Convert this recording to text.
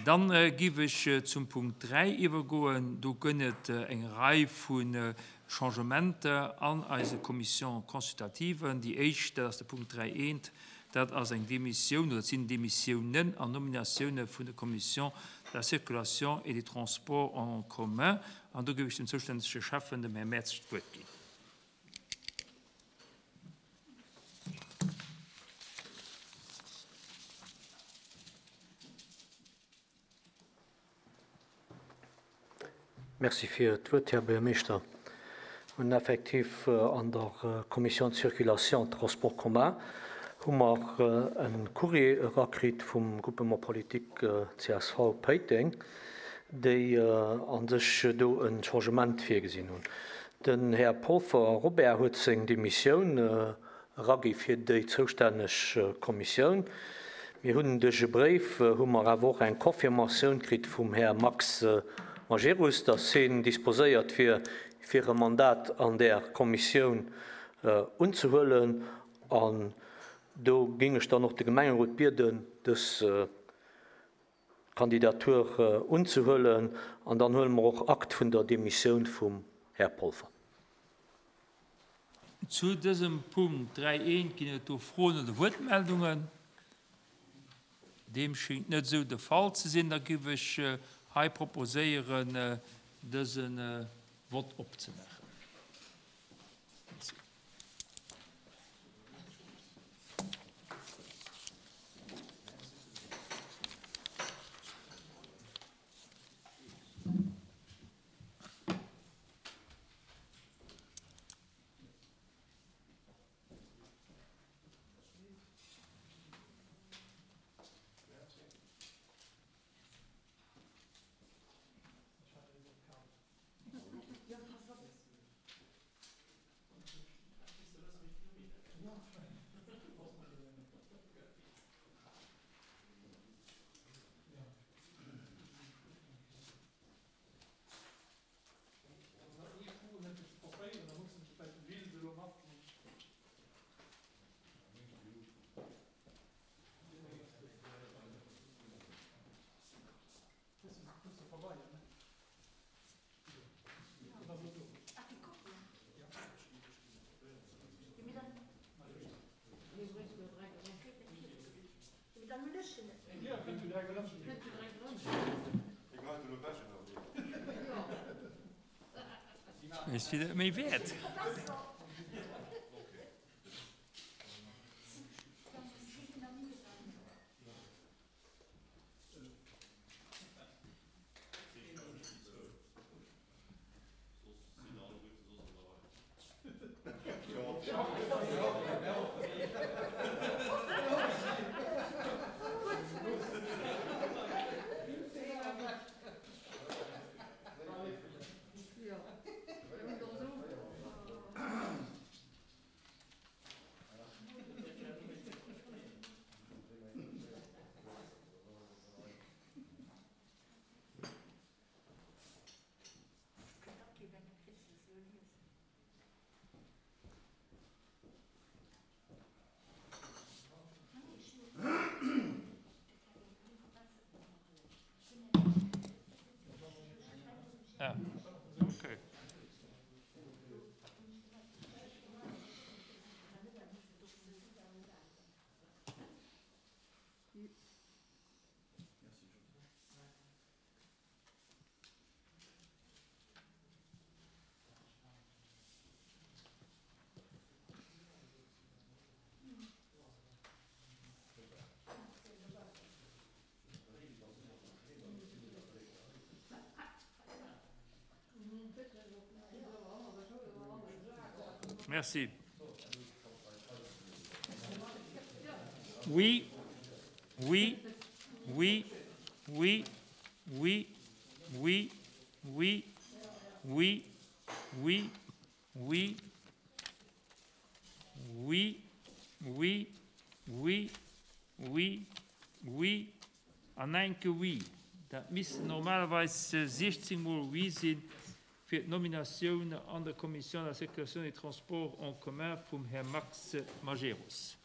Dann giff ech zum Punkt 3 iwwergoen. Do gënn et eng Rei vu Changementer an eise Commissions consultativen. Déi éischt, dat ass de Punkt 3 eent, dat ass eng Demissioun oder et sinn Demissiounen an Nominatioune vun der Commission de la circulation et des transports en commun. An do giff ech dem zoustännege Schäffen, dem Här Mertz, d'Wuert ginn. Merci fir d'Wuert, Här Buergermeeschter. Mir hunn effektiv an der Commission de circulation transports communs hu mer e Courrier erakritt vum Groupement politique csv Péiteng, déi a sech do e Changement virgesinn hunn. Den Här Polfer Robert huet seng Demissioun eragi fir déi zoustänneg Kommissioun. Mir hunn duerch e Bréif hu mer awer och eng Confirmatioun kritt vum Här Max Majerus, dass hien disposéiert wier, fir e Mandat an där Kommissioun unzehuelen. An do géing ech dann och de Gemengerot bieden, dës Kandidatur unzehuelen an dann huele mer och Akt vun der Demissioun vum Här Polfer. Zu dësem Punkt 3 I ginn et do Froen oder Wuertmeldungen? Deem schéngt net esou de Fall ze sinn. Da giff ech hei proposéieren, dëse Vott opzemaachen. Merci. Is fir méi wäert. Ah, okay. Merci. Oui, oui, oui, oui, oui, oui, oui, oui, oui, oui, oui, oui, oui, oui, oui an enke Oui. Dat missten normalerweis 16 mol Oui sinn fir d'Nominatioun an der Commission de la circulation des transports en commun vum Här Max Majerus.